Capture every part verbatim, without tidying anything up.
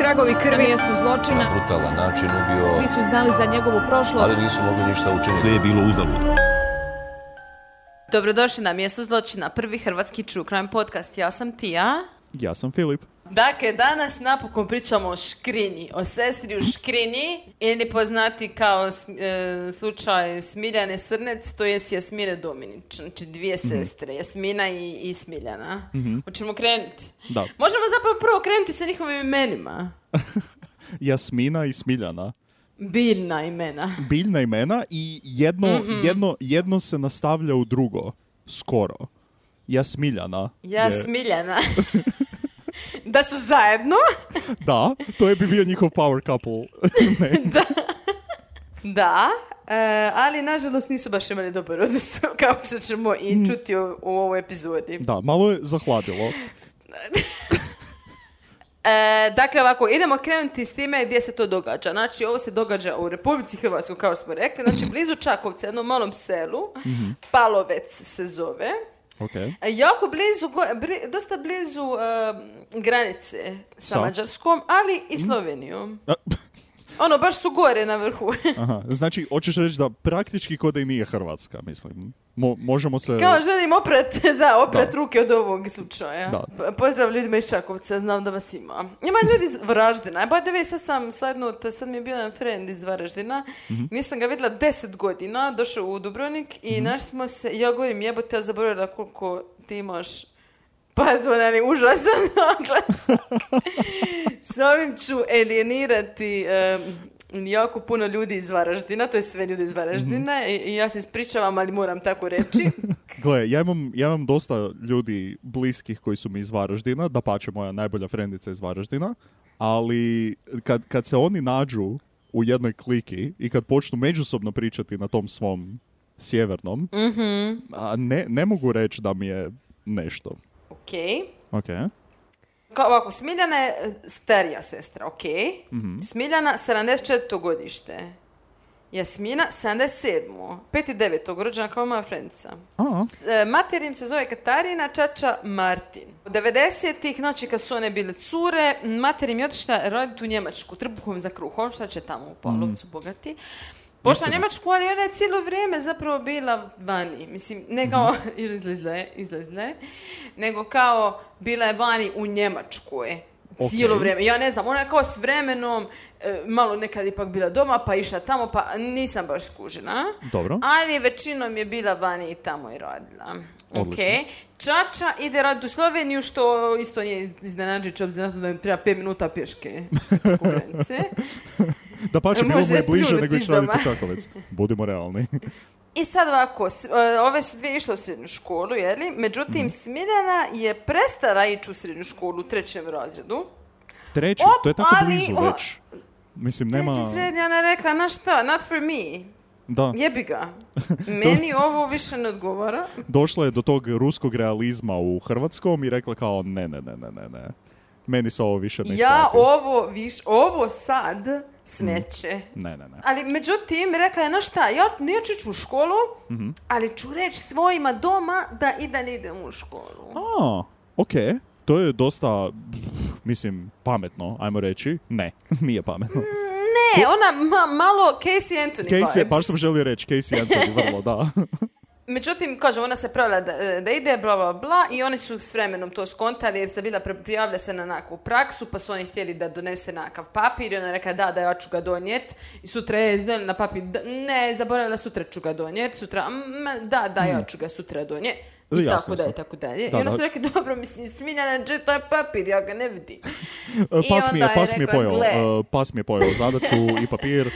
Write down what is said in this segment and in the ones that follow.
tragovi krvi. Na mjestu zločina. Na brutalan način ubio. Svi su znali za njegovu prošlost. Ali nisu mogli ništa učiniti. Sve je bilo uzalud. Dobrodošli na Mjesto zločina, prvi hrvatski true crime podcast. Ja sam Tija. Ja sam Filip. Dakle, danas napokon pričamo o Škrinji, o sestri u Škrinji, ili poznati kao e, slučaj Smiljane Srnec, to je Jasmine Dominić, znači dvije mm-hmm. sestre, Jasmina i, i Smiljana. Mm-hmm. Hoćemo krenuti? Da. Možemo zapravo prvo krenuti sa njihovim imenima. Jasmina i Smiljana. Biljna imena. Biljna imena i jedno, mm-hmm. jedno, jedno se nastavlja u drugo, skoro. Jasmiljana. Jasmiljana. Da su zajedno. Da, to je bi bio njihov power couple. Da, da e, ali nažalost nisu baš imali dobar odnos, kao što ćemo i čuti u, u ovoj epizodi. Da, malo je zahladilo. E, dakle, ovako, idemo krenuti s time gdje se to događa. Znači, ovo se događa u Republici Hrvatskoj, kao smo rekli. Znači, blizu Čakovca, jednom malom selu. Mm-hmm. Palovec se zove. Okay. Jako blizu, bli, dosta blizu uh, granice sa, sa Mađarskom, ali i Slovenijom. Ono, baš su gore na vrhu. Aha, znači, hoćeš reći da praktički kod i nije Hrvatska, mislim. Mo, možemo se... Kao želim oprat, da, oprat da. ruke od ovog slučaja. Da. Pozdrav ljudima iz Čakovca, znam da vas ima. Ima ljudi iz Varaždina. Ba da vi, sad sam sadnut, sad mi je bio jedan friend iz Varaždina. Mm-hmm. Nisam ga vidjela deset godina, došao u Dubrovnik i mm-hmm. našli smo se, ja govorim, jebote, ja zaboravila koliko ti imaš pazvonani užasan naglas. S ovim ću alienirati um, jako puno ljudi iz Varaždina, to je sve ljudi iz Varaždina mm-hmm. i, i ja se ispričavam, ali moram tako reći. Gle, ja imam, ja imam dosta ljudi bliskih koji su mi iz Varaždina, dapače moja najbolja frendica iz Varaždina, ali kad, kad se oni nađu u jednoj kliki i kad počnu međusobno pričati na tom svom sjevernom, mm-hmm. a ne, ne mogu reći da mi je nešto. Ok. Ok. Kao ovako, Smiljana je starija sestra, ok. Mm-hmm. Smiljana, sedamdeset četvrto godište. Jasmina, sedamdeset sedmo pet i devet rođena kao moja frendica. E, mater im se zove Katarina, čača Martin. U devedesetih, znači kad su one bile cure, mater im je otišla raditi u Njemačku, trbuhom za kruhom, šta će tamo u Palovcu, mm. bogati. Pošla Njemačku, ali ona je cijelo vrijeme zapravo bila vani. Mislim, ne kao mm-hmm. izlazle, izlazle, nego kao bila je vani u Njemačkoj. Okay. Cijelo vrijeme. Ja ne znam, ona je kao s vremenom e, malo nekad ipak bila doma, pa išla tamo, pa nisam baš skužena. Dobro. Ali većinom je bila vani i tamo i radila. Okay. Čača ide raditi u Sloveniju, što isto nije iznenađujuće, obzirom na to da im treba pet minuta pješke po granice. Da pa će bilo mu je bliže nego ići raditi u Čakovec. Budimo realni. I sad ovako, ove su dvije išle u srednju školu, jeli? Međutim, mm. Smiljana je prestala ići u srednju školu u trećem razredu. Treći? Op, to je tako ali, blizu o, već. Mislim, nema... Treći srednja, ona je rekla, na šta, not for me. Da. Jebi ga. Meni ovo više ne odgovara. Došla je do tog ruskog realizma u hrvatskom i rekla kao, ne, ne, ne, ne, ne, ne. Meni se ovo više ne isplati. Ja ovo, viš, ovo sad smeće. Mm. Ne, ne, ne. Ali međutim, rekla je, no šta, ja neću ići u školu, mm-hmm. ali ću reći svojima doma da i da ne idem u školu. A, okej. Okay. To je dosta, mislim, pametno, ajmo reći. Ne, nije pametno. Ne, ona ma, malo Casey Anthony Casey, vibes. Baš sam želio reći Casey Anthony, vrlo, da. Međutim, kažem, ona se pravila da, da ide, bla, bla, bla, i oni su s vremenom to skontali jer se bila prijavlja se na nekakvu praksu, pa su oni htjeli da donese nekakav papir i ona rekla da, da ja ću ga donijeti i sutra je izdali na papir, da, ne, zaboravila, sutra ću ga donijeti, sutra, m, da, da, ja ću ga sutra donijeti. I jasno tako dalje, tako dalje. Da, I onda su rekli, dobro, mislim, Smiljana, dže, to je papir, ja ga ne vidim. Pas mi je, pas mi je pojao, uh, pas mi je pojao zadaću i papir.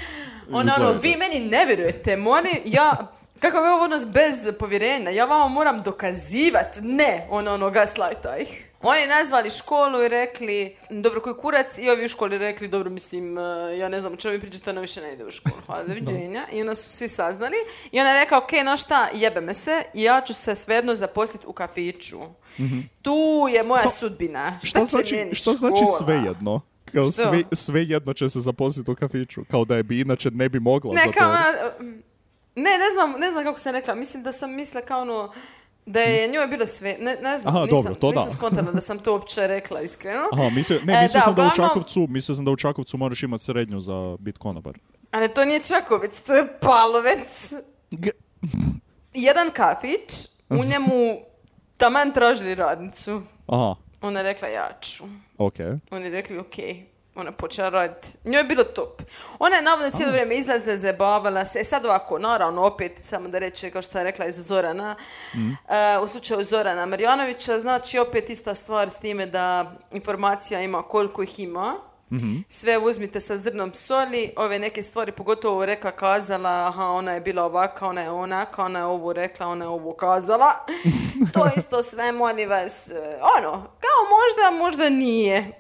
Ono, ono, vi meni ne vjerujete, moni, ja... Kakav je ovo odnos bez povjerenja? Ja vama moram dokazivat. Ne, ono, ono, gaslajta ih. Oni nazvali školu i rekli, dobro, koji kurac, i ovi u školi rekli, dobro, mislim, ja ne znam o čemu vi pričate, ona više ne ide u školu. Hvala, doviđenja. I onda su svi saznali. I ona je rekao, ok, no šta, jebe me se, ja ću se svejedno zaposliti u kafiću. Mm-hmm. Tu je moja so, sudbina. Šta, šta će znači, meni što škola? Što znači svejedno? Kao sve, svejedno će se zaposliti u kafiću. Kao da je bi inače ne bi mogla. Ne, kao... Ne, ne znam, ne znam kako sam rekla. Mislim da sam mislila kao ono, Da je njoj bilo sve, ne, ne znam, Aha, nisam, dobro, to nisam da. skontala da sam to uopće rekla iskreno. Aha, mislio, ne, E, mislio da, sam da u uglavnom- Čakovcu, mislio sam da u Čakovcu moraš imati srednju za bit konobar. Ali to nije Čakovec, to je Palovec. G- Jedan kafić, u njemu taman tražili radnicu. Aha, Ona je rekla ja ću. ok. Oni je rekli ok. Ona počela raditi. Njoj je bilo top. Ona je navodno cijelo vrijeme izlazila, zabavala se. E sad ovako, naravno, opet, samo da reče, kao što sam rekla, iz Zorana. Mm. Uh, u slučaju Zorana Marjanovića, znači opet ista stvar s time da informacija ima koliko ih ima. Mm-hmm. Sve uzmite sa zrnom soli, ove neke stvari, pogotovo rekla, kazala, aha, ona je bila ovaka, ona je onaka, ona je ovo rekla, ona je ovo kazala. To isto sve, molim vas, eh, ono, kao možda, možda nije,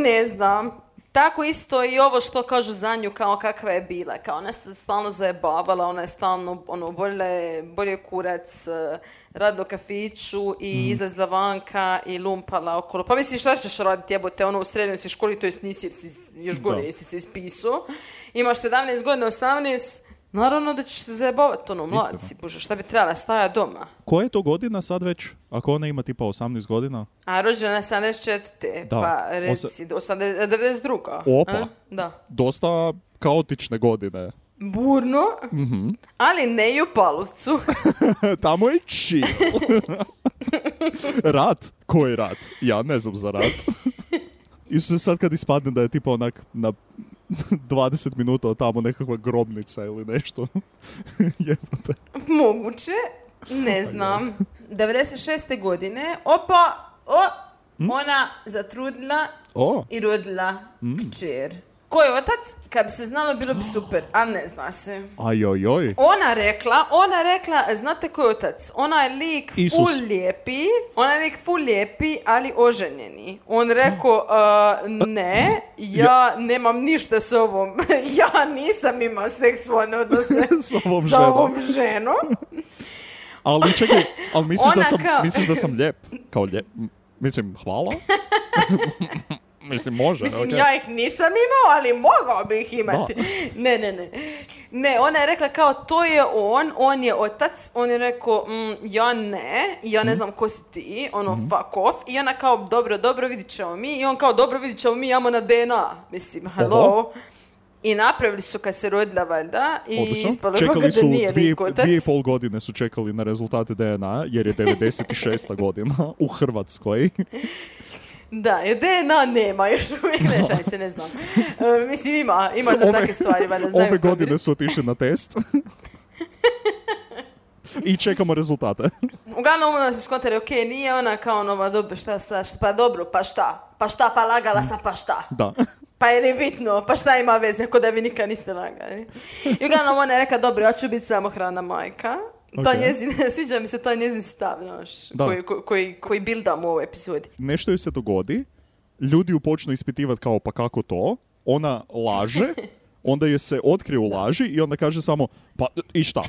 ne znam. Tako isto i ovo što kažu za nju, kao kakva je bila, kao ona se stalno zajebavala, ona je stalno, ono, bolje, bolje kurac, eh, radila u kafiću i izlazila vanka i lumpala okolo. Pa misliš, šta ćeš raditi, jebote, ono, u srednjoj si školi, to jest nisi, jer si još gore, Da. jesi se ispisao. Imaš sedamnaest godina, osamnaest, naravno da ćeš se zajebavati, ono, mlad si, bože, šta bi trebala stajati doma. Koja je to godina sad već? Ako ona ima tipa osamnaest godina? A rođena je sedamdeset četvrte. Da. Pa reci, osamdeset devedeset druga. Opa. A? Da. Dosta kaotične godine. Burno, ali ne i u Palovcu. Tamo je chill. Rat? Koji rat? Ja ne znam za rat. Isuse, sad kad ispadne da je tipa onak na dvadeset minuta od tamo nekakva grobnica ili nešto. Jebote. Moguće, ne znam. devedeset šeste godine, opa, o, ona zatrudila O, i rodila kćer. Ko je otac? Kad bi se znalo, bilo bi super, ali ne zna se. ajojoj. Ona rekla, ona rekla, znate ko je otac? Ona je lik Isus. full lijepi, ona je lik full lijepi, ali oženjeni. On rekao, uh, ne, ja nemam ništa s ovom, ja nisam imao seksualne odnose S ovom sa ženom. ovom ženom. Ali čekaj, ali misliš da Ona sam, kao- misliš da sam lijep? Kao lijep? M- Mislim, hvala? Mislim, može. Mislim, okej. ja ih nisam imao, ali mogao bi ih imati. Ne, ne, ne. Ne, ona je rekla kao, to je on, on je otac. On je rekao, mm, ja ne, ja ne znam ko si ti, ono, fuck off. I ona kao, dobro, dobro, vidit ćemo mi. I on kao, dobro, vidit ćemo mi, imamo na D N A. Mislim, hello. Oho. I napravili su kad se rodila, valjda, i Odlično. ispalo je Čekali da su nije dvije, lik otac. dvije i pol godine su čekali na rezultate D N A, jer je devedeset šesta godina u Hrvatskoj. Da, jer D N A nema, još uvijek ne, šaj se, ne znam. E, mislim, ima, ima za Ove- takve stvari, valjda znaju Ove godine provjeriti. su otišli na test. I čekamo rezultate. Uglavnom ono se skontali, ok, nije ona kao ono, dobro, šta sad, šta- pa dobro, pa šta? Pa šta, pa lagala sam, pa šta? Da. Pa je li bitno, pa šta ima veze, ako da vi nikad niste lagali. I uglavnom ona je rekla, dobro, ja ću biti samohrana majka. Ta Ok. njezin, sviđa mi se taj njezin stav, znaš, Da. koji, koji, koji, koji bildam u ovoj epizodi. Nešto joj se dogodi, ljudi ju počnu ispitivati kao pa kako to, ona laže, onda je se otkrije u laži i onda kaže samo pa i šta?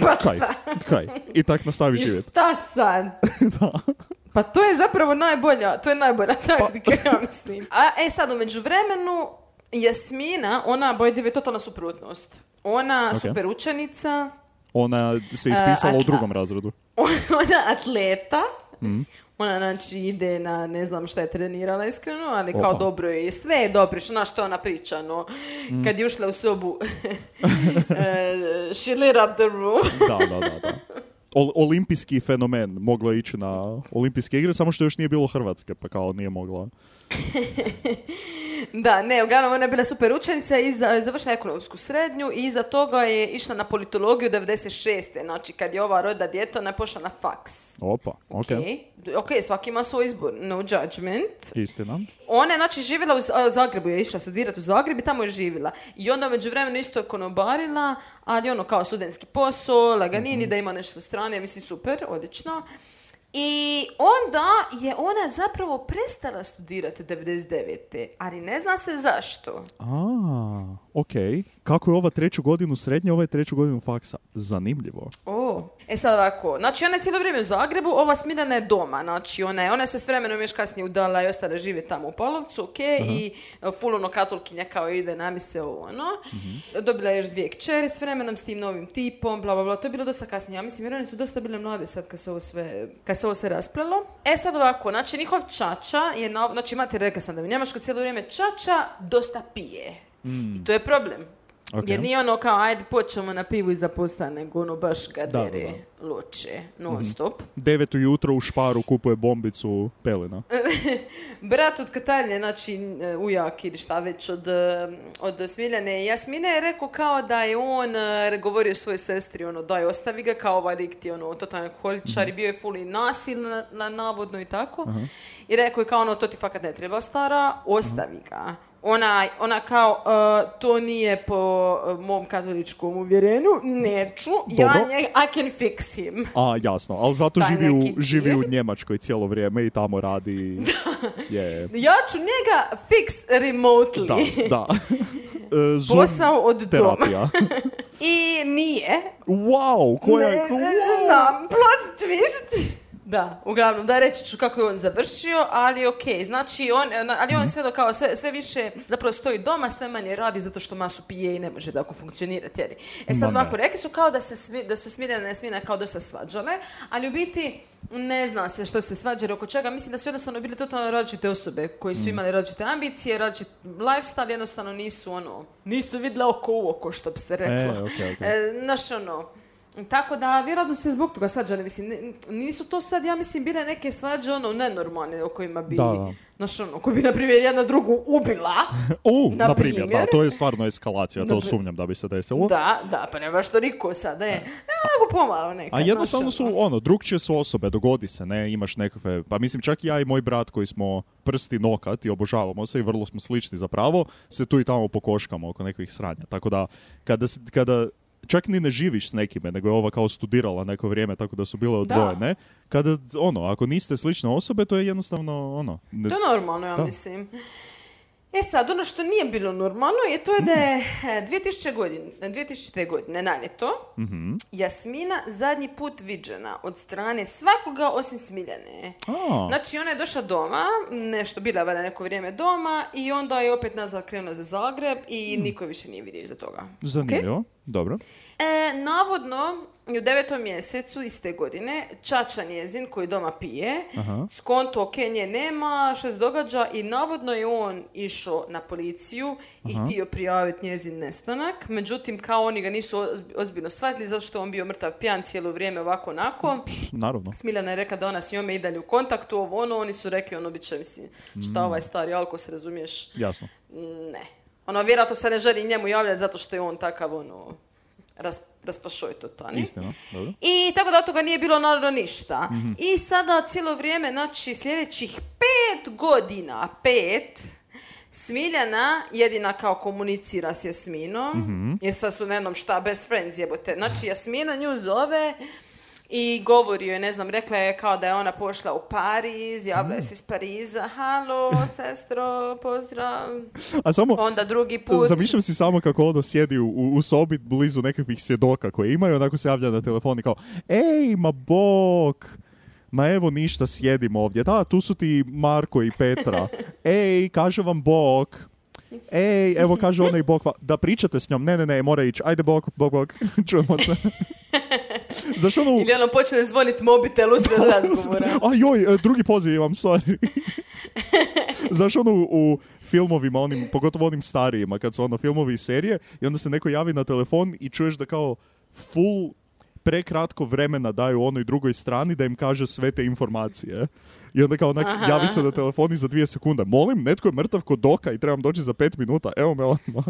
Pa Kaj? šta? Kaj? I tak nastavi I živjeti. šta sad? Pa to je zapravo najbolja, to je najbolja taktika, ja mislim. A e sad, u međuvremenu, Jasmina, ona, bojdive, je totalna suprotnost. Ona Ok. super učenica, Ona se ispisala A, u atla- drugom razredu. ona atleta, Mhm. ona znači ide na, ne znam šta je trenirala iskreno, ali kao Opa. dobro je, sve je dobro, što što je ona priča, no, Mhm. kad je ušla u sobu, eh, she lit up the room. Da, da, da, da. Ol- olimpijski fenomen. Mogla je ići na olimpijske igre, samo što još nije bilo Hrvatske, pa kao nije mogla. Da, ne, uglavnom ona je bila super učenica i za- završila ekonomsku srednju i iza toga je išla na politologiju devedeset šeste. Znači, kad je ova rodila dijete, ona je pošla na faks. Opa, ok. Ok, ok, svaki ima svoj izbor, no judgment. Istina. Ona je, znači, živjela u Z- a, Zagrebu, je išla studirati u Zagreb i tamo je živjela. I onda među vremenu isto je konobarila, ali ono kao studentski posao, laganini, da ima nešto sa strane, mislim, super, odlično. I onda je ona zapravo prestala studirati devedeset devete. Ali ne zna se zašto. A, ok. Kako je ova treću godinu srednje, ova je treću godinu faksa? Zanimljivo. O, to. E sad ovako, znači ona je cijelo vrijeme u Zagrebu, ova Smiljana je doma, znači ona je, ona je se s vremenom još kasnije udala i ostala žive tamo u Polovcu, ok, uh-huh. i full ono katolkinja kao ide na mise ovo ono. Uh-huh. Dobila je još dvije kćeri s vremenom s tim novim tipom, bla bla bla, to je bilo dosta kasnije, ja mislim jer one su dosta bile mlade sad kad se ovo sve, kad se ovo sve rasplelo. E sad ovako, znači njihov čača je, na, znači imate, rekla sam da u Njemačkoj cijelo vrijeme čača dosta pije. Mm. I to je problem. Okay. Jer nije ono kao, ajde, počnemo na pivu i zapusta, nego ono baš gadere, loče, non stop. Mm-hmm. Devet ujutro u Šparu kupuje bombicu pelena. Brat od Katarine, znači ujak ili šta već od, od Smiljane i Jasmine je rekao kao da je on govorio svojoj sestri, ono, daj, ostavi ga, kao ovaj lik ti, ono, totalni alkoholičar mm-hmm. i bio je full i nasilna, navodno i tako. Uh-huh. I rekao je kao, ono, to ti fakat ne treba, stara, ostavi uh-huh. ga. Ona, ona kao, uh, to nije po uh, mom katoličkom uvjerenju, neću, ja nje, I can fix him. A, jasno, ali zato živi u, živi u Njemačkoj cijelo vrijeme i tamo radi... yeah. Ja ću njega fix remotely. Da, da. Uh, Posao od terapija. doma. I nije. Wow, koja je... Ne, wow. Znam, plot twist. Da, uglavnom, da reći ću kako je on završio, ali ok, znači on, ali on sve, do, kao, sve, sve više zapravo stoji doma, sve manje radi zato što masu pije i ne može tako funkcionirati. Jer. E sad ovako, rekli su kao da se, smi, da se Smiljana i Smina kao dosta svađale, ali u biti ne zna se što se svađale oko čega, mislim da su jednostavno bile totalno različite osobe koji su imali različite ambicije, različit lifestyle, jednostavno nisu ono, nisu vidle oko u oko, što bi se reklo. E, okay, okay. E, znaš ono, tako da, vjerojatno se zbog toga svađali, mislim, nisu to sad, ja mislim, bile neke svađe, ono, nenormalne, o kojima bi, znaš, ono, koji bi, na primjer, jedna drugu ubila, U, na primjer, da, to je stvarno eskalacija, to sumnjam da bi se desilo. Da, da, pa nema što niko sada je, nego pomalo nekad. A jednostavno su, ono, drugčije su osobe, dogodi se, ne, imaš nekakve, pa mislim, čak i ja i moj brat koji smo prsti nokat i obožavamo se i vrlo smo slični zapravo, se tu i tamo pokoškamo oko nekih sranja, tako da, kada, kada čak ni ne živiš s nekime, nego je ova kao studirala neko vrijeme, tako da su bile odvojene. Da. Kada, ono, ako niste slične osobe, to je jednostavno, ono... Ne... To je normalno, ja da. mislim. E sad, ono što nije bilo normalno je to da je dvije tisućite. godine, dvije tisućite. godine na ljeto mm-hmm. Jasmina zadnji put viđena od strane svakoga osim Smiljane. Oh. Znači, ona je došla doma, nešto bila valjda neko vrijeme doma i onda je opet nazad krenula za Zagreb i mm. niko više nije vidio iza toga. Zanimljivo, okay? Dobro. E, navodno, u devetom mjesecu iste godine čača njezin koji doma pije, aha. skonto ok, nje nema, što se događa i navodno je on išao na policiju aha. i htio prijaviti njezin nestanak, međutim kao oni ga nisu ozbiljno shvatili zato što on bio mrtav pijan cijelo vrijeme ovako onako. Naravno. Smiljana je rekla da ona s njome i dalje u kontaktu, ovo ono, oni su rekli ono bit će, mislim, šta mm. ovaj stari alko se razumiješ? Jasno. Ne. Ono, vjerojatno se ne želi njemu javljati zato što je on takav, ono, ras, raspašoj totani. Istina, dobro. I tako da od toga nije bilo naravno ništa. Mm-hmm. I sada cijelo vrijeme, znači sljedećih pet godina, pet, Smiljana jedina kao komunicira s Jasminom, mm-hmm. jer sad su na jednom šta, best friends jebote. Znači, Jasmina nju zove i govori joj, ne znam, rekla je kao da je ona pošla u Pariz, javlja se iz Pariza, halo, sestro, pozdrav. A samo, onda drugi put. Zamišljam si samo kako ono sjedi u, u sobi blizu nekakvih svjedoka koje imaju, onako se javlja na telefon i kao, ej, ma bok, ma evo ništa, sjedim ovdje. Da, tu su ti Marko i Petra. Ej, kaže vam bok. Ej, evo kaže ona i bok. Da pričate s njom. Ne, ne, ne, mora ići. Ajde bok, bok, bok. Čujemo se. Znaš ono... Ili ono počne zvoniti mobitel usred razgovora. A joj, drugi poziv imam, sorry. Znaš ono u, u filmovima, onim, pogotovo onim starijima, kad su ono filmovi i serije, i onda se neko javi na telefon i čuješ da kao full prekratko vremena daju onoj drugoj strani da im kaže sve te informacije. I onda kao onak Aha. javi se na telefoni za dvije sekunde. Molim, netko je mrtav kod doka i trebam doći za pet minuta. Evo me odmah.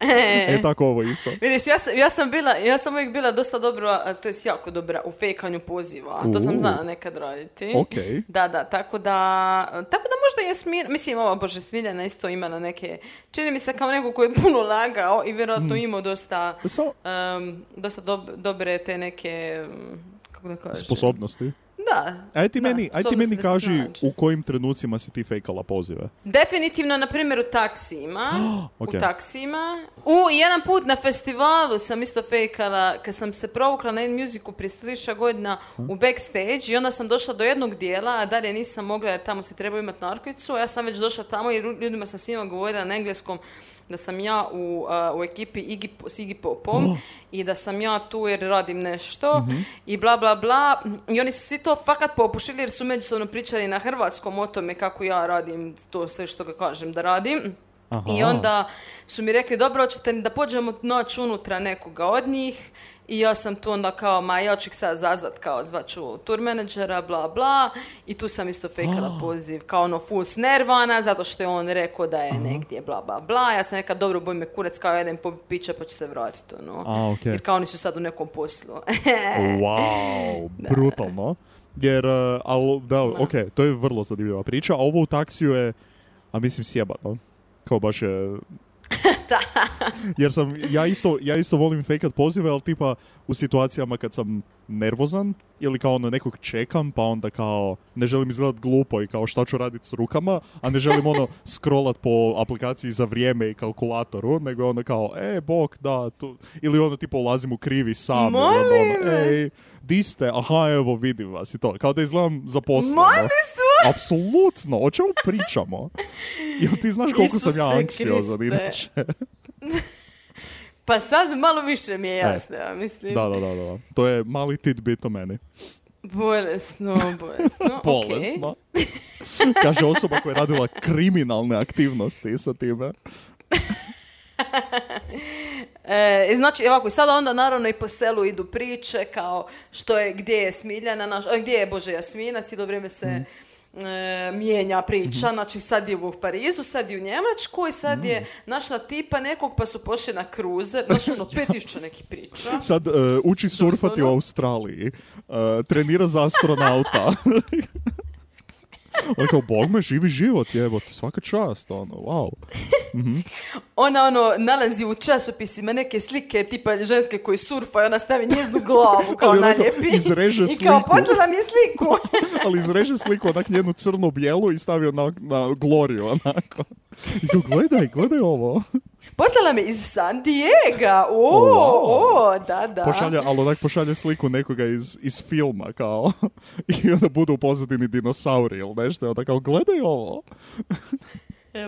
E, e tako ovo isto. Vidiš, ja sam, ja sam bila, ja sam uvijek bila dosta dobra, to je jako dobra u fejkanju poziva. To sam znala nekad raditi. Okay. Da, da, tako da, tako da možda je Smiljana, mislim, ova Bože, Smiljana isto imala neke, čini mi se kao neko koji je puno lagao i vjerojatno mm. imao dosta, um, dosta dob, dobre te neke, kako da kažem, sposobnosti. da. Aj ti Da, meni, aj ti sposobnost meni da se kaži snađe. u kojim trenucima si ti fejkala pozive. Definitivno, na primjer, u taksijima. Ok. U taksijima. U, i jedan put na festivalu sam isto fejkala, kad sam se provukla na In-Musicu prije sto tisuća godina u backstage i onda sam došla do jednog dijela, a dalje nisam mogla jer tamo se treba imati narkicu, a ja sam već došla tamo i ljudima sam svima govorila na engleskom da sam ja u, uh, u ekipi Iggy, s Iggy Popom oh. i da sam ja tu jer radim nešto mm-hmm. i bla bla bla i oni su svi to fakat popušili jer su međusobno pričali na hrvatskom o tome kako ja radim to sve što ga kažem da radim. Aha. I onda su mi rekli, dobro, hoćete da pođemo naći unutra nekoga od njih i ja sam tu onda kao, ma ja ću ih sad zazvat kao zvaću tour menadžera, bla bla i tu sam isto fejkala oh. poziv kao ono full snervana zato što je on rekao da je uh-huh. negdje bla bla bla, ja sam neka dobro boj me kurac kao jedan popit pića pa ću se vratiti ono. A, okay. Jer kao oni su sad u nekom poslu. Wow, brutalno. Jer, uh, ali, da, no. ok, to je vrlo zanimljiva priča, a ovo u taksiju je, a mislim sjebano. Kao baš je... Jer sam, ja isto, ja isto volim fejkat pozive, ali tipa u situacijama kad sam nervozan ili kao ono nekog čekam, pa onda kao ne želim izgledat glupo i kao šta ću raditi s rukama, a ne želim ono scrollat po aplikaciji za vrijeme i kalkulatoru, nego ono kao, e, bok, da, tu, ili ono tipa ulazim u krivi sam, ili ono, ej, di ste, aha, evo, vidim vas i to, kao da izgledam zaposleno. Apsolutno, o čemu pričamo? Jel ti znaš koliko Isuse sam ja anksiozan inače? Pa sad malo više mi je jasno, ja mislim. Da, da, da, da. To je mali tidbit o meni. Bolesno, bolesno. Bolesno. Okay. Kaže osoba koja je radila kriminalne aktivnosti sa time. E, znači, ovako, i sada onda naravno i po selu idu priče kao što je, gdje je Smiljana, naš, gdje je Bože Jasmina, cijelo vrijeme se mm. e, mijenja priča, mm-hmm. znači sad je u Parizu, sad je u Njemačkoj, sad mm. je našla tipa nekog pa su pošli na kruzer, znači ono pet tisuća nekih priča. Sad uh, uči surfati Doslovno. U Australiji, uh, trenira za astronauta. Ono kao, Bog me, živi život, jebote, svaka čast, ono, wow. Mm-hmm. Ona, ono, nalazi u časopisima neke slike, tipa ženske koji surfaju, ona stavi njeznu glavu, kao naljepi. Izreže sliku. I kao, poslala mi sliku. Ali izreže sliku, onak njenu crnu bijelu i stavio na, na Gloriju, onako. I kao, gledaj, gledaj ovo. Poslala me iz San Diego, o, oh, wow. o, da, da. Pošalje, ali onak pošalje sliku nekoga iz, iz filma, kao, i onda budu u pozadini dinosauri ili nešto, i onda kao, gledaj ovo.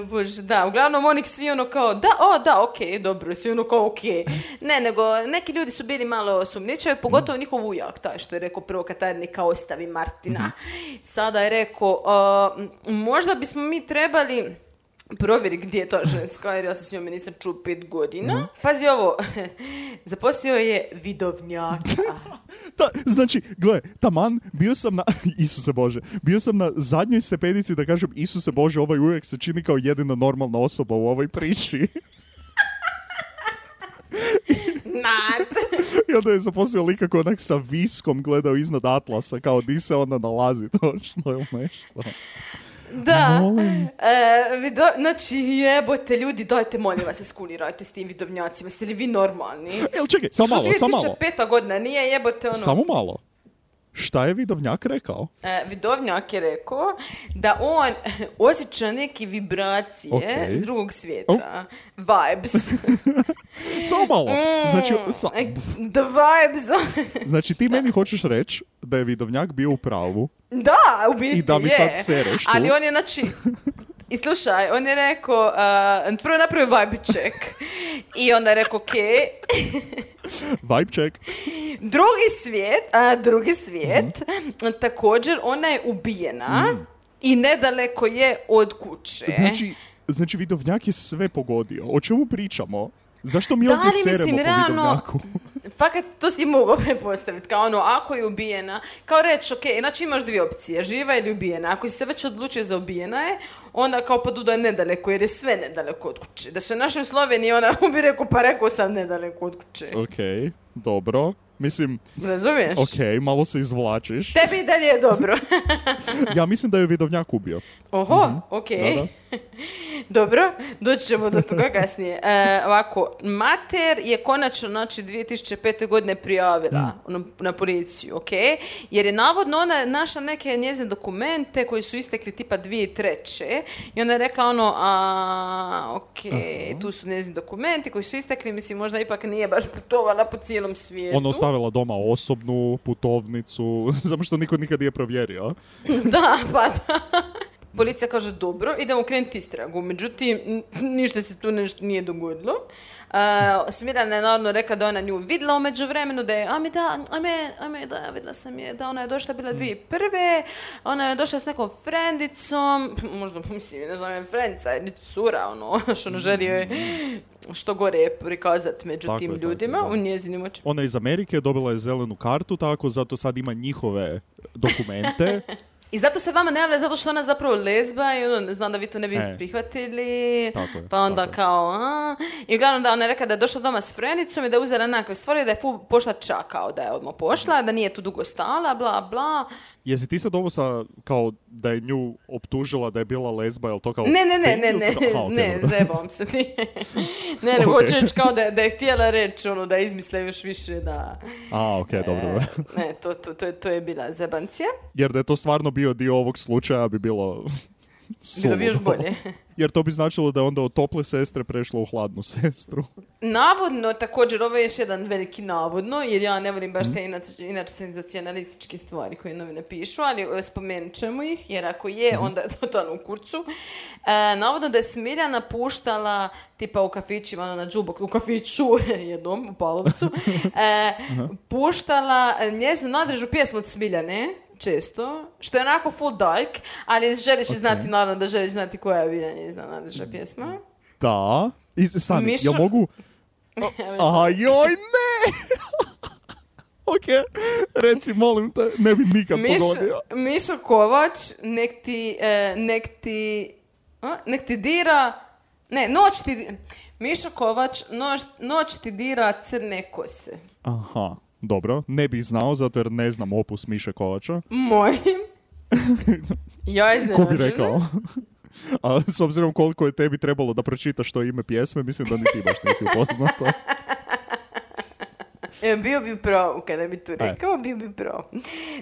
Bože, da, uglavnom onih svi ono kao, da, o, da, okej, okay, dobro, svi ono kao, okej. Okay. Ne, nego neki ljudi su bili malo sumnjičavi, pogotovo mm. njihov ujak, taj što je rekao prvo Katarini kao ostavi Martina. Mm-hmm. Sada je rekao, uh, možda bismo mi trebali provjeri gdje je ta ženska, jer ja sam s njome nisam čuo pet godina. Mm. Pazi ovo, zaposlio je vidovnjaka. Ta, znači, gle, taman, bio sam na, Isuse Bože, bio sam na zadnjoj stepenici da kažem, Isuse Bože, ovaj uvijek se čini kao jedina normalna osoba u ovoj priči. Nad. I onda je zaposlio lika koji onak sa viskom gledao iznad Atlasa, kao di se onda nalazi točno ili nešto. Da, e, vido, znači jebote ljudi, dajte molim vas se skulirajte s tim vidovnjacima, ste li vi normalni? Evo čekaj, samo malo, samo malo. dvije tisuće peta godina, nije jebote ono... Samo malo. Šta je vidovnjak rekao? E, vidovnjak je rekao da on osjeća neke vibracije okay. iz drugog svijeta. Oh. Vibes. Samo malo. Znači, sa... The vibes. Znači ti meni hoćeš reći da je vidovnjak bio u pravu. Da, u biti je. I da mi sad sereš tu. Ali on je, znači... I slušaj, on je rekao, uh, prvo napravio vibe check. I onda je rekao, ok. Vibe check. Drugi svijet, a drugi svijet, mm. također ona je ubijena mm. i nedaleko je od kuće. Znači, znači vidovnjak je sve pogodio. O čemu pričamo? Zašto mi ovdje seremo mislim, po realno, vidovnjaku? Fakat, to si mogao prepostaviti, kao ono, ako je ubijena, kao reći, ok, znači imaš dvije opcije, živa ili ubijena. Ako si se već odlučio za ubijena je, onda kao pa da je nedaleko, jer je sve nedaleko od kuće. Da su našli u Sloveniji, ona bi rekao, pa rekao sam nedaleko od kuće. Ok, dobro. Mislim, Razumiješ? ok, malo se izvlačiš. Tebi i dalje je dobro. Ja mislim da je vidovnjak ubio. Oho, mm-hmm. ok. Da, da. Dobro, doći ćemo do toga kasnije. E, ovako, mater je konačno, znači, dvije tisuće pete. godine prijavila mm. na, na policiju, ok? Jer je navodno ona našla neke njezine dokumente koji su istekli tipa dvije tisuće treće. I onda je rekla ono, a, ok, uh-huh. tu su njezini dokumenti koji su istekli, mislim, možda ipak nije baš putovala po cijelom svijetu. Ona ostavila doma osobnu putovnicu, zato što niko nikad nije provjerio. Da, pa da. Policija kaže, dobro, idemo krenuti istragu. Međutim, ništa se tu nešto nije dogodilo. Uh, Smirana je naravno rekla da ona nju vidjela u međuvremenu, da je, a mi da, a me, a me, da, vidjela sam je, da ona je došla bila dvije tisuće prve. Ona je došla s nekom frendicom, možda, mislim, ne znam, je frendica, je cura, ono, što ono želi joj što gore je prikazati među tako tim je, ljudima, tako, u njezinim očima. Ona je iz Amerike, dobila je zelenu kartu, tako, zato sad ima njihove dokumente. I zato se vama ne javlja, zato što ona zapravo lezba i ono, znam da vi to ne bi e. prihvatili. Tako je, pa onda tako kao, a, i uglavnom da ona je rekla da je došla doma s frendicom i da je uzela nekakve stvari, da je fu pošla čak, kao da je odmah pošla, da nije tu dugo stala, bla, bla. Jesi ti sad ovo sa, kao da je nju optužila da je bila lezba, je li to kao... Ne, ne, ne, ne, ne, Aha, okay, ne, zajebavam se. ne, ne, okay. hoću reći kao da, da je htjela reći, ono, da izmisle još više, da... A, okej, okay, dobro. E, ne, to, to, to, to je bila zebancija. Jer da je to stvarno bio dio ovog slučaja bi bilo... Bilo bi još bolje. Jer to bi značilo da je onda od tople sestre prešlo u hladnu sestru. Navodno, također, ovo je još jedan veliki navodno, jer ja ne volim baš te inače, inače senzacionalističke stvari koje novine pišu, ali spomenut ćemo ih, jer ako je, onda je to totalno u kurcu. E, navodno da je Smiljana puštala, tipa u kafićima, ono na džubok, u kafiću, jednom, u Palovcu, e, puštala njezinu nadrežu pjesmu od Smiljane, često, što je onako full dark, ali želiš okay. znati, naravno da želiš znati koja je bila njezina nadreža pjesma. Da. I stani, Mišo... ja mogu... Aha, joj, ne! Ok, reci, molim te, ne bi nikad Miš, pogodio. Mišo Kovač, nek ti, eh, nek ti, a? nek ti dira, ne, noć ti, Mišo Kovač, noć, noć ti dira crne kose. Aha. Dobro, ne bih znao, zato jer ne znam opus Miše Kovača. Molim. Ja iznenađena. Ko bi rekao? A s obzirom koliko je tebi trebalo da pročitaš to ime pjesme, mislim da ni ti baš nisi upoznata. E, bio bi pravo, kada bi tu rekao, bio bi pravo.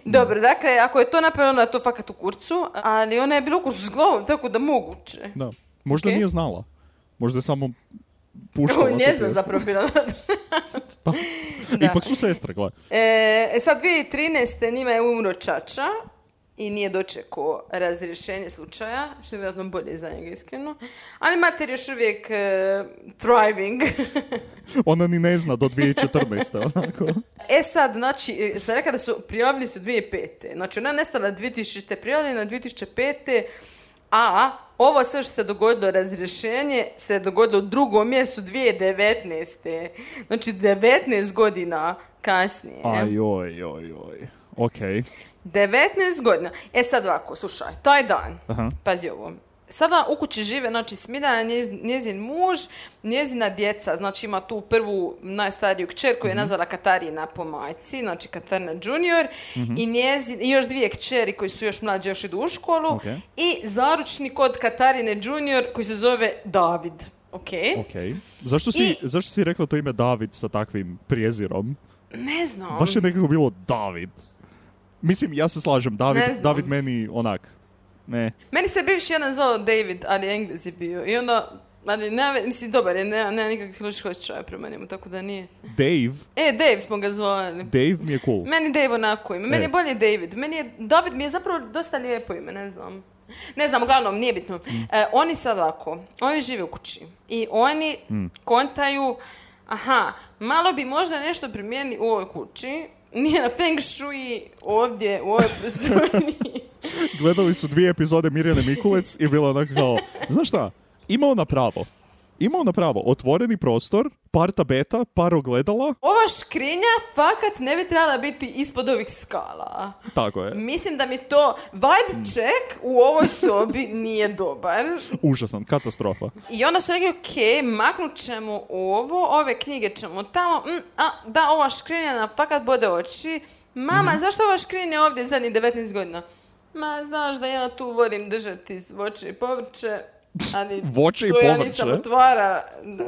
Dobro, dakle, ako je to napravljeno, ona je to fakat u kurcu, ali ona je bila u kurcu s glavom, tako da moguće. Da, možda okay. nije znala. Možda je samo... puštala. Ne znam zapravo bila pa, ipak su sestre, gledaj. E, sad dvije tisuće trinaeste. njima je umro čača i nije dočekao razrješenje slučaja, što je vjerojatno bolje za njega, iskreno. Ali mater još uvijek uh, thriving. Ona ni ne zna do dvije tisuće četrnaeste. onako. E sad, znači, sam rekla da su prijavili su dvije tisuće pete. Znači, ona je nestala dvije tisuće prijavljena na dvije tisuće pete. A ovo sve što se dogodilo, razrješenje, se dogodilo u drugom mjesecu dvije tisuće devetnaeste. Znači, devetnaest godina kasnije. Aj, oj, oj, oj. Okej. Okay. devetnaest godina. E sad ovako, slušaj, taj dan, Aha. pazi ovo. Sada u kući žive, znači Smiljana, njezin, njezin muž, njezina djeca, znači ima tu prvu najstariju kćer koju je nazvala Katarina po majci, znači Katarina junior, mm-hmm. i, njezin, i još dvije kćeri koji su još mlađe, još idu u školu, okay. i zaručnik od Katarine junior koji se zove David. Okay. Okay. Zašto, si, I, zašto si rekla to ime David sa takvim prijezirom? Ne znam. Baš je nekako bilo David. Mislim, ja se slažem, David, David meni onak... Ne. Meni se bivši jedan zvao David, ali Englez je bio. I onda, ali ne, mislim, dobar je, nema, nema nikakvih loših osjećaja prema njemu, tako da nije. Dave? E, Dave smo ga zvali. Dave mi je cool. Meni Dave onako ime. Meni e. je bolje David. Meni je, David mi je zapravo dosta lijepo ime, ne znam. Ne znam, uglavnom, nije bitno. Mm. E, oni sad ovako, oni žive u kući. I oni mm. kontaju, aha, malo bi možda nešto primijenili u ovoj kući. Nije na feng shui ovdje, u ovoj prostoriji. Gledali su dvije epizode Mirjane Mikulec i bilo onako kao, znaš šta, ima ona pravo. ima ona pravo, otvoreni prostor, par tabeta, par ogledala. Ova škrinja fakat ne bi trebala biti ispod ovih skala. Tako je. Mislim da mi to vibe check u ovoj sobi nije dobar. Užasan, katastrofa. I onda su rekli, ok, maknut ćemo ovo, ove knjige ćemo tamo, mm, a da, ova škrinja nam fakat bode oči. Mama, mm-hmm. zašto ova škrinja ovdje zadnjih devetnaest godina? Ma, znaš da ja tu volim držati voće i povrće, ali voće i to ja povrće? nisam otvara,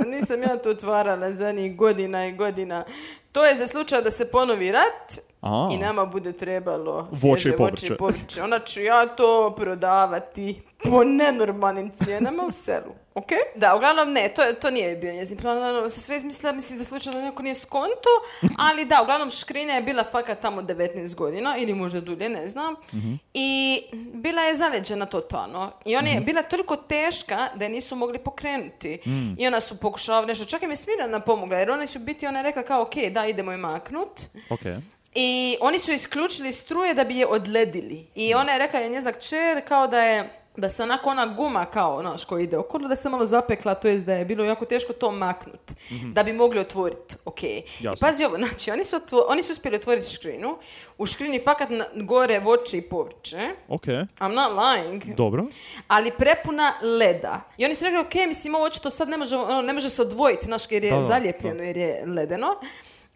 nisam ja to otvarala zadnjih godina i godina. To je za slučaj da se ponovi rat A. i nama bude trebalo Voće svježe i povrće. voće i povrće. Onda ću ja to prodavati po nenormalnim cijenama u selu. Ok? Da, uglavnom ne, to, to nije bio njezin plan. Se sve izmislila, mislim, za slučaj da neko nije skonto, ali da, uglavnom škrinja je bila fakat tamo devetnaest godina, ili možda dulje, ne znam. Mm-hmm. I bila je zaleđena totalno. I ona je mm-hmm. bila toliko teška da je nisu mogli pokrenuti. Mm. I ona su pokušavali nešto. Čak im je Smiljana pomogla, jer oni su biti, ona je rekla kao, ok, da, idemo je maknut. Okay. I oni su isključili struje da bi je odledili. I ona je rekla, je njezak kćer, kao da je da se onako ona guma kao, znaš, koja ide okolo, da se malo zapekla, to jest da je bilo jako teško to maknut, mm-hmm. da bi mogli otvoriti, ok. Jasno. I pazi ovo, znači, oni su, otvo- oni su uspjeli otvoriti škrinu, u škrini fakat na- gore voće i povrće, Ok. I'm not lying, Dobro. ali prepuna leda. I oni su rekli, ok, mislim, ovo očito sad ne može, ono, ne može se odvojiti, znaš, jer je Da, da, zalijepljeno, da. jer je ledeno.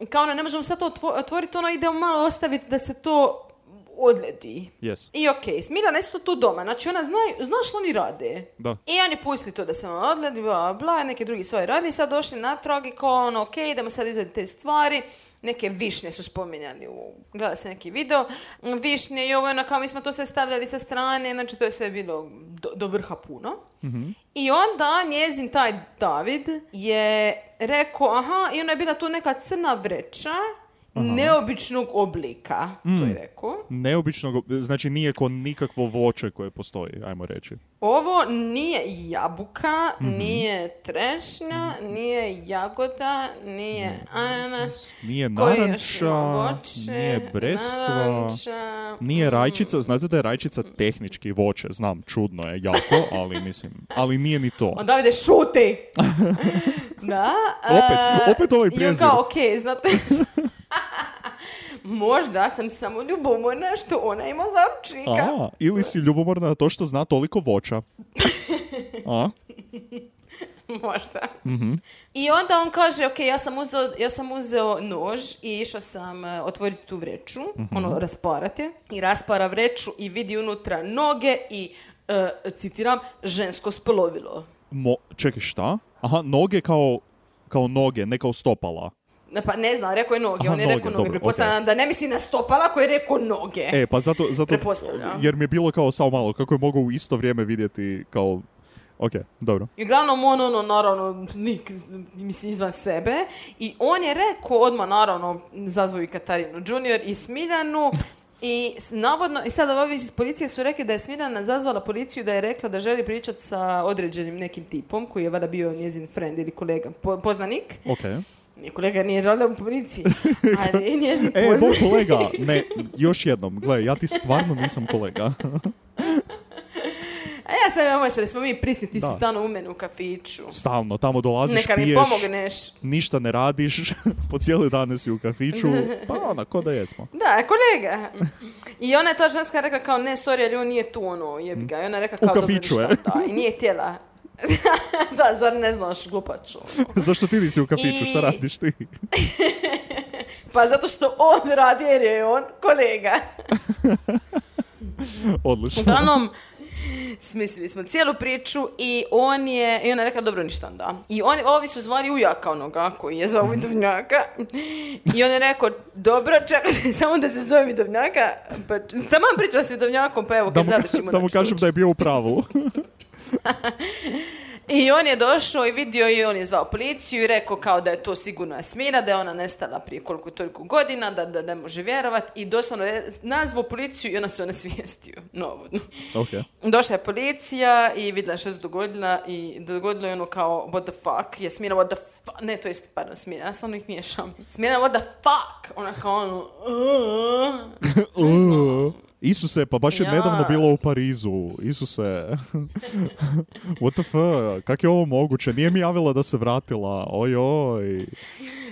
Kao ono, ne možemo sad to otvo- otvoriti, ono, idemo malo ostaviti da se to odledi. Yes. I okej, okay, Smiljana isto tu doma, znači ona zna, zna što oni rade. Da. I oni pustili to da se ono odledi, bla, bla, neke drugi stvari radi, sad došli natrag i kao ono, okej, okay, idemo sad izvaditi te stvari. Neke višnje su spominjali, u, gleda se neki video, višnje i ovo je ono kao mi smo to sve stavljali sa strane, znači to je sve bilo do, do vrha puno. Mm-hmm. I onda njezin taj David je rekao, aha, i ona je bila tu neka crna vreća, aha, neobičnog oblika, mm. to je rekao. Neobičnog, znači nije ko nikakvo voće koje postoji, ajmo reći. Ovo nije jabuka, mm-hmm. nije trešnja, nije jagoda, nije ananas, nije koje još naranča, ima voće, nije breskva, naranča, nije rajčica. Znate da je rajčica tehnički voće, znam, čudno je jako, ali mislim, ali nije ni to. On Davide, šuti! Da. Opet, opet ovaj I on prijezir. kao, okej, okay, znate... Možda sam samo ljubomorna što ona ima zaručnika. A, ili si ljubomorna na to što zna toliko voća. A? Možda. Mm-hmm. I onda on kaže, ok, ja sam uzeo, ja sam uzeo nož i išao sam uh, otvoriti tu vreću, mm-hmm. ono, rasparati. I raspara vreću i vidi unutra noge i, uh, citiram, žensko spolovilo. Mo, čekaj, šta? Aha, noge kao, kao noge, ne kao stopala. Pa ne znam, rekao je noge, Aha, on je noge, rekao noge, dobro, pretpostavljam okay. da ne misli na stopala koji je rekao noge. E, pa zato, zato Pretpostavljam. jer mi je bilo kao samo malo, kako je mogao u isto vrijeme vidjeti kao, ok, dobro. I uglavnom on, ono, naravno, lik, misli, izvan sebe. I on je rekao odmah, naravno, zazvao i Katarinu Junior i Smiljanu. I navodno, i sada ovi iz policije su rekli da je Smiljana zazvala policiju, da je rekla da želi pričati sa određenim nekim tipom, koji je vada bio njezin friend ili kolega, po, poznanik. Ok. Nije kolega, nije radio u policiji, ali njezin E, poznanik. moj kolega, ne, još jednom, gle, ja ti stvarno nisam kolega. A ja sam ja moćala, smo mi prisni, ti Da. si stalno u mene u kafiću. Stalno, tamo dolaziš, Neka mi piješ, pomogneš. ništa ne radiš, po cijeli dan si u kafiću, pa ona, ko da jesmo. Da, kolega. I ona je ta ženska rekla kao, ne, sorry, ali on nije tu, ono, jebi ga. I ona je rekla kao, U kafiću, dobro, e? šta, da. I nije htjela. Da, zar ne znaš, glupač, ono. Zašto ti nisi u kafiću, I- šta radiš ti? Pa zato što on radi jer je on kolega. Odlično. Uglavnom, smislili smo cijelu priču i on je, i ona je rekla, dobro, ništa onda. I oni, ovi su zvali ujaka onoga koji je zvao Vidovnjaka. I on je rekao, dobro, čekajte, samo da se zove Vidovnjaka. Pa, taman priča s Vidovnjakom, pa evo, Da kad mu, završimo. da mu znači, kažem da je bio u pravu. I on je došao i vidio i on je zvao policiju i rekao kao da je to sigurno Jasmina, da je ona nestala prije koliko toliko godina, da, da ne može vjerovati i doslovno je nazvao policiju i ona se onesvijestio. Navodno. Ok. Došla je policija i vidjela što se dogodila i dogodilo je ono kao what the fuck, Jasmina what the fuck, ne to jest, pardon, Smina, ja stvarno ih miješam. Smina what the fuck, ona kao ono, uh, ne znam. Isuse, pa baš je Ja. nedavno bilo u Parizu. Isuse. What the fuck? Kak je ovo moguće? Nije mi javila da se vratila. Oj, oj.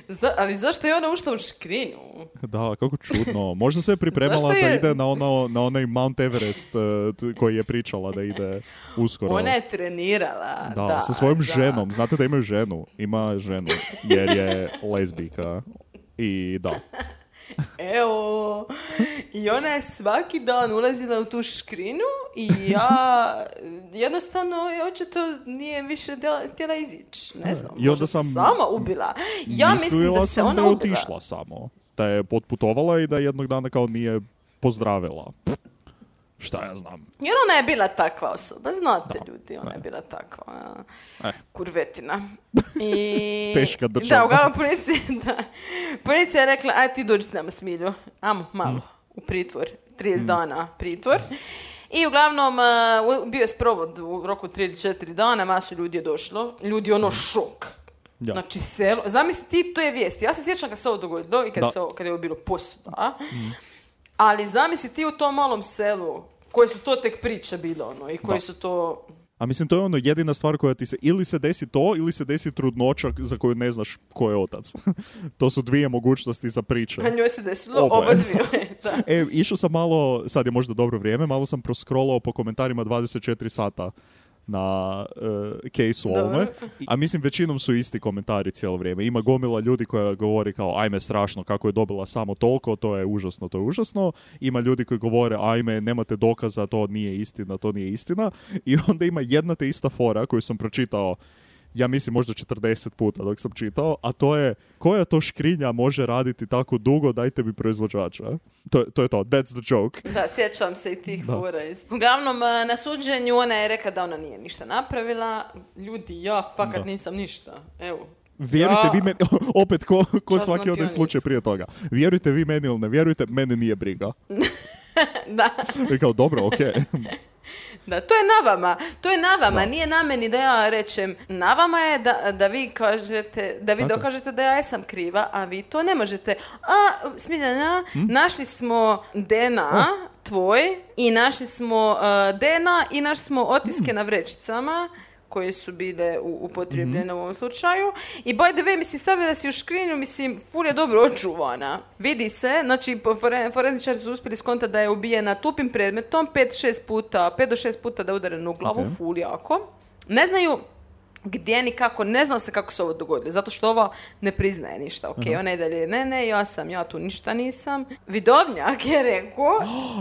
Za, ali zašto je ona ušla u škrinu? Da, kako čudno. Možda se je pripremala Zašto da je- ide na, ono, na onaj Mount Everest uh, t- koji je pričala da ide uskoro. Ona je trenirala. Da, Da, sa svojom za- ženom. Znate da imaju ženu? Ima ženu, jer je lezbijka. I da. Evo. I ona je svaki dan ulazila u tu škrinu i ja jednostavno je očito nije više djela- htjela izići. Ne znam, I onda možda sam- se sama ubila. Ja mislim Mislila da se sam ona da je ubila. otišla samo. Da je potputovala i da jednog dana kao nije pozdravila. Šta ja znam. Jer ona je bila takva osoba, znate Da. ljudi, ona je Ne. bila takva ona, Eh. kurvetina. I... Teška država. Da, uglavnom policija, da. Policija je rekla, aj ti dođi s nama Smilju, amo malo u pritvor, trideset dana pritvor. I uglavnom uh, bio je sprovod u roku tri ili četiri dana, masu ljudi je došlo, ljudi ono šok. Ja. Znači selo, zamisli ti, to je vijest. Ja se sjećam kad se ovo dogodilo i kad, Da. se ovo, kad je ovo bilo posuda. Ali zamisli ti u tom malom selu, koje su to tek priče bile, ono, i koji Da. su to... A mislim, to je ono jedina stvar koja ti se, ili se desi to, ili se desi trudnoća za koju ne znaš ko je otac. To su dvije mogućnosti za priče. A njoj se desilo Oboje. oba dvije. Da. E, išao sam malo, sad je možda dobro vrijeme, malo sam proskrolao po komentarima dvadeset četiri sata na uh, case-u Dobro. ovome. A mislim, većinom su isti komentari cijelo vrijeme. Ima gomila ljudi koja govori kao, ajme, strašno, kako je dobila samo toliko, to je užasno, to je užasno. Ima ljudi koji govore, ajme, nemate dokaza, to nije istina, to nije istina. I onda ima jedna te ista fora koju sam pročitao, ja mislim možda četrdeset puta dok sam čitao, a to je, koja to škrinja može raditi tako dugo, dajte mi proizvođača. To, je- to je to, that's the joke. Da, sjećam se i tih Da. fora. iz- Uglavnom, a, na suđenju ona je rekla da ona nije ništa napravila. Ljudi, ja fakat Da. nisam ništa. Evo. Vjerujte Ja. vi meni, opet ko, ko Časna svaki onaj pionica. slučaj prije toga. Vjerujte vi meni ili ne vjerujte, mene nije briga. Da. I kao, dobro, okej. Da, to je na vama. To je na vama. Da. Nije na meni da ja rečem. Na vama je da, da vi kažete, da vi Tako je. dokažete da ja jesam kriva, a vi to ne možete. A, Smiljana, Hm? našli smo D N A tvoj i našli smo uh, D N A i našli smo otiske Hm. na vrećicama koje su bile u- upotrijebljene Mhm. u ovom slučaju. I by the way, mislim, stavila si u škrinju, mislim, ful je dobro očuvana. Vidi se, znači, po- fore- forenzičari su uspjeli skontati da je ubijena tupim predmetom, pet šest puta, pet do šest puta da je udarena u glavu, Ok. ful jako. Ne znaju gdje ni kako, ne znam se kako se ovo dogodilo, zato što ova ne priznaje ništa, ok, ona je dalje, ne, ne, ja sam, ja tu ništa nisam. Vidovnjak je rekao,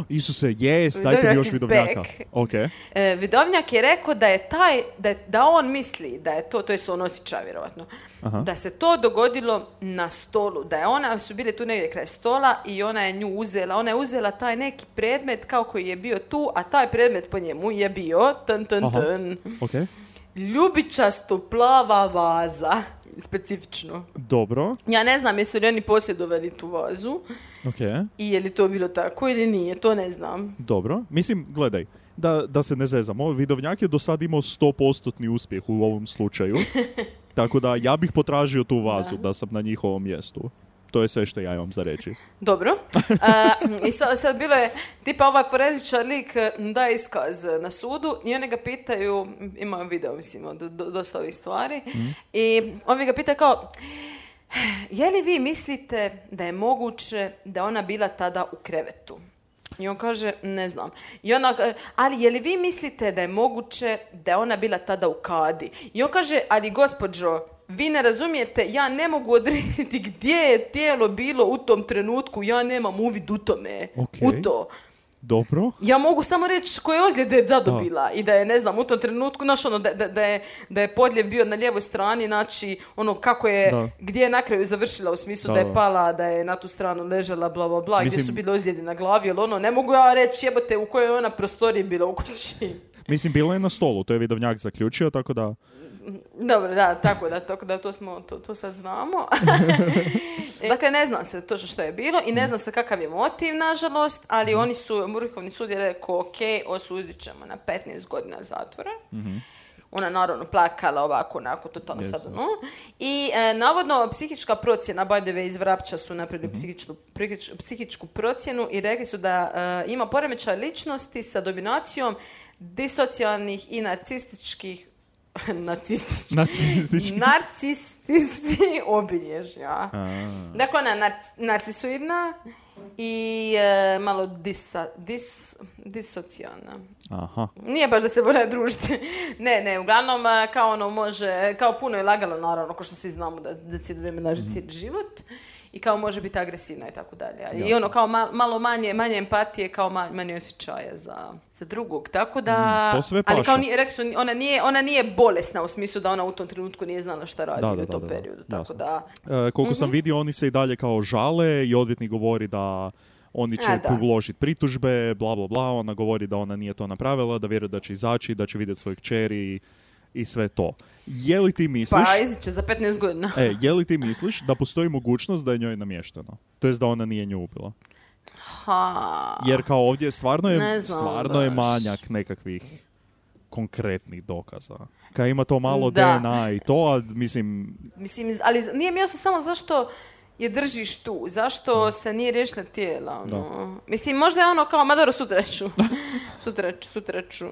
Isuse, jes, dajte mi Vidovnjak još is vidovnjaka. back. Ok. E, Vidovnjak je rekao da je taj, da, je- da on misli da je to, to jest on osjeća vjerovatno, Aha. da se to dogodilo na stolu, da je ona, su bile tu negdje kraj stola i ona je nju uzela, ona je uzela taj neki predmet kao koji je bio tu, a taj predmet po njemu je bio, tn, tn, Aha. tn, Ok. ljubičasto plava vaza, specifično. Dobro. Ja ne znam jesu li oni posjedovali tu vazu Ok. i je li to bilo tako ili nije, to ne znam. Dobro. Mislim, gledaj, da, da se ne zezamo, Vidovnjak je do sad imao sto posto uspjeh u ovom slučaju. Tako da ja bih potražio tu vazu da, sam na njihovom mjestu. To je sve što ja imam za reći. Dobro. A, I sad, sad bilo je, tipa ovaj forenzičar lik eh, daje iskaz na sudu i oni ga pitaju, imaju video, mislim, od do- dosta ovih stvari, i ovi ga pitaju kao, je li vi mislite da je moguće da je ona bila tada u krevetu? I on kaže, ne znam. I ona, ka- ali je li vi mislite da je moguće da je ona bila tada u kadi? I on kaže, ali gospođo, vi ne razumijete, ja ne mogu odrediti gdje je tijelo bilo u tom trenutku, ja nemam uvid u tome, Ok. u to. Dobro. Ja mogu samo reći koje ozljede je zadobila i da je, ne znam, u tom trenutku, znaš, ono, da, da, da, je, da je podljev bio na lijevoj strani, znači, ono, kako je, Da. gdje je na kraju završila, u smislu Da, da, da. je pala, da je na tu stranu ležala, bla, bla, bla, gdje Mislim- su bile ozljede na glavi, jer ono, ne mogu ja reći, jebote, u kojoj je ona prostoriji bila u kući. Mislim, bilo je na stolu, to je Vidovnjak zaključio, tako da... Dobro, da, tako da, tako da to, smo, to, to sad znamo. Dakle, ne zna se točno što je bilo i ne zna se kakav je motiv, nažalost, ali oni su, Vrhovni sud je rekao, ok, osudit ćemo na petnaest godina zatvora. ona naravno plakala ovako, onako, totalno Yes, sad yes. ono. I e, navodno psihička procjena, by the way, iz Vrapča su napravili Mhm. psihičku, prihič- psihičku procjenu i rekli su da e, ima poremećaj ličnosti sa dominacijom disocijalnih i narcističkih nacističkih Nacistički. narcističkih obilježja. A, Dakle, ona je narc- narcisoidna i e, malo disa, dis, disocijalna. aha. Nije baš da se vole družiti. Ne, ne, uglavnom e, kao ono može, kao puno je lagalo naravno, kao što svi znamo da, da cijelo vrijeme laže cijeli život. I kao može biti agresivna i tako dalje. I Jasno. ono kao ma- malo manje, manje empatije, kao ma- manje osjećaja za, za drugog. Tako da... Mm, to sve ali paša. kao nije, rekli su, ona nije, ona nije bolesna u smislu da ona u tom trenutku nije znala šta radi Da, u da, tom da, da, periodu. da. Tako Jasno. da... E, koliko sam vidio, oni se i dalje kao žale i odvjetnik govori da oni će A, da. uložiti pritužbe, bla, bla, bla. Ona govori da ona nije to napravila, da vjeruje da će izaći, da će vidjeti svoje kćeri i sve to. Je li ti misliš... Pa iziće za petnaest godina. E, je li ti misliš da postoji mogućnost da je njoj namješteno? To jest da ona nije nju ubila? Ha. Jer kao ovdje stvarno je, Ne znam stvarno je baš. manjak nekakvih konkretnih dokaza. Kad ima to malo Da. D N A i to, a mislim... Mislim, ali nije mi jasno samo zašto je držiš tu, zašto se nije riješila tijela, ono. Mislim, možda je ono kao, ma dobro, sutra ću. sutra ću, sutra ću.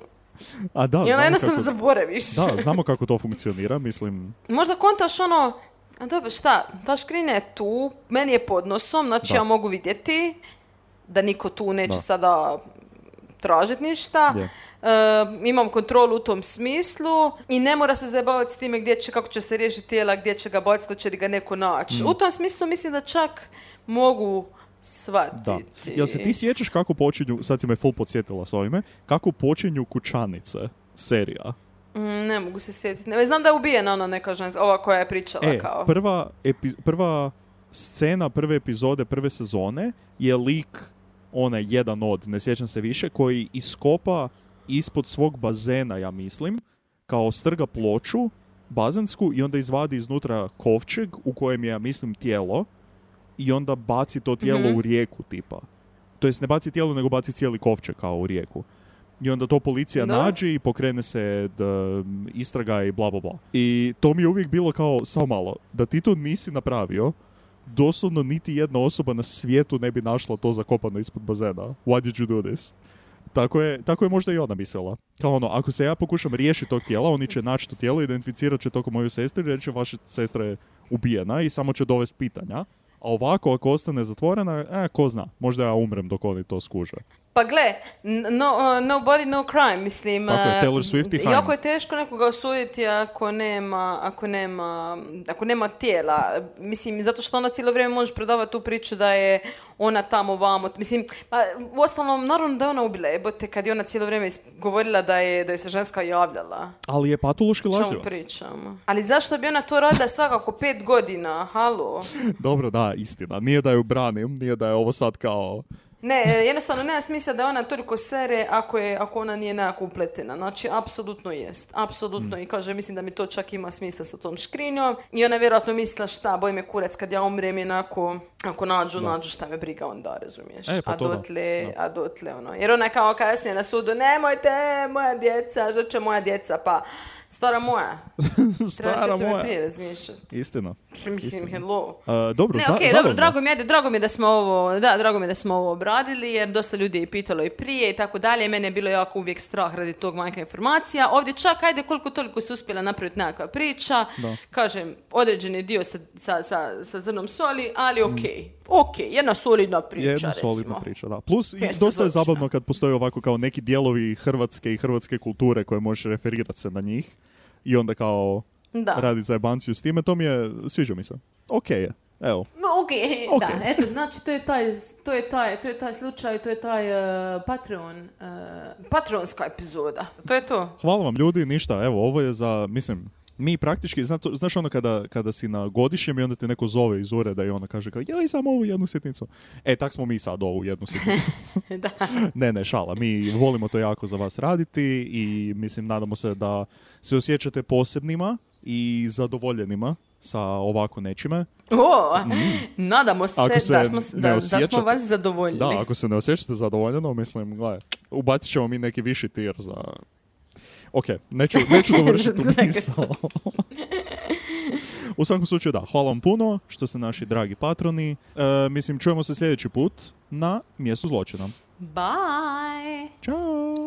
A da, I ona znamo jednostavno kako, zaboraviš. da, znamo kako to funkcionira, mislim... Možda kontaš ono, a dobro, šta, ta škrinja je tu, meni je pod nosom, znači Da. ja mogu vidjeti da niko tu neće Da. sada tražiti ništa. Je. E, imam kontrolu u tom smislu i ne mora se zabavati s time gdje će, kako će se riješiti tijela, gdje će ga baciti, hoće li ga neko naći. Mm. U tom smislu mislim da čak mogu Da. shvatiti. Jel se ti sjećaš kako počinju, sad si me full podsjetila s ovime, kako počinju Kućanice, serija? Mm, ne mogu se sjetiti. Ne, znam da je ubijena ona neka ženska, ova koja je pričala E, kao. prva, epi- prva scena prve epizode prve sezone je lik, onaj jedan od, ne sjećam se više, koji iskopa ispod svog bazena, ja mislim, kao strga ploču bazensku i onda izvadi iznutra kovčeg u kojem je, ja mislim, tijelo i onda baci to tijelo Mhm. u rijeku tipa. To jest ne baci tijelo, nego baci cijeli kovčeg kao u rijeku. I onda to policija Da. nađe i pokrene se d, istraga i bla bla bla. I to mi je uvijek bilo kao, samo malo, da ti to nisi napravio, doslovno niti jedna osoba na svijetu ne bi našla to zakopano ispod bazena. Why did you do this? Tako je, tako je možda i ona mislila. Kao ono, ako se ja pokušam riješiti tog tijela, oni će naći to tijelo, identificirat će to kao moju sestru i reći vaša sestra je ubijena i samo će dovesti pitanja. A ovako, ako ostane zatvorena, e, ko zna, možda ja umrem dok oni to skuže. Pa gle, n- no, uh, no body, no crime, mislim. Tako je, uh, Taylor Swift i Haim. jako je teško nekoga osuditi ako nema, ako nema, ako nema tijela. Mislim, zato što ona cijelo vrijeme može prodavati tu priču da je ona tamo vamo. Mislim, pa, u ostalom, naravno da je ona ubila, jebote, kad je ona cijelo vrijeme is- govorila da je, da je se ženska javljala. Ali je patološki O čemu lažljivac. pričamo? Ali zašto bi ona to radila svakako pet godina? Halo? Dobro, da, istina. Nije da ju branim, nije da je ovo sad kao... Ne, e, jednostavno nema smisla da ona toliko sere ako, je, ako ona nije nekako upletena. Znači, apsolutno jest. Apsolutno. I kaže, mislim da mi to čak ima smisla sa tom škrinjom. I ona vjerojatno mislila šta, boj me kurac kad ja umrem jednako, ako nađu, nađu šta me briga onda, razumiješ. E, pa a to da. dotle, a dotle, ono. Jer ona je kao kasnije na sudu, nemojte, moja djeca, žrče moja djeca, pa stara moja. Treba se Stara o tome moja. prije razmišljati. Istina. Mislim, hello. Uh, dobro, Ne, za, okej, zabavno. dobro, drago mi je, drago mi je da smo ovo, da, drago mi je da smo ovo obradili, jer dosta ljudi je pitalo i prije i tako dalje. Mene je bilo jako uvijek strah radi tog manjka informacija. Ovdje čak, ajde, koliko toliko se uspjela napraviti nekakva priča. Da. Kažem, određeni dio sa, sa, sa, sa zrnom soli, ali okej. Okej, jedna solidna priča, Jedna recimo. solidna priča, da. Plus, i Mjesto dosta je zločina. zabavno kad postoje ovako kao neki dijelovi hrvatske i hrvatske kulture koje možeš referirati se na njih i onda kao Da. radi zajebanciju s time. To mi je, sviđa mi se. Okej je, evo. No, okej, Ok. da, eto, znači to je taj, to je taj, to je taj slučaj, to je taj uh, Patreon, uh, patronska epizoda. To je to. Hvala vam ljudi, ništa, evo, ovo je za, mislim, mi praktički, zna, to- znaš ono kada, kada si na godišnjem i onda te neko zove iz ureda i ona kaže kao, joj, samo ovu jednu sitnicu. E, tak smo mi sad ovu jednu sitnicu. Da. Ne, ne, šala. Mi volimo to jako za vas raditi i mislim, nadamo se da se osjećate posebnima i zadovoljenima sa ovako nečime. O, nadamo se, Ako se da, smo, ne da, da osjećate- smo vas zadovoljili. Da, ako se ne osjećate zadovoljeno, mislim, gledaj, ubacit ćemo mi neki viši tir za... Ok, neću, neću dovršiti tu misao. U svakom slučaju da, hvala vam puno što ste naši dragi patroni. E, mislim, čujemo se sljedeći put na mjestu zločina. Bye! Ćao!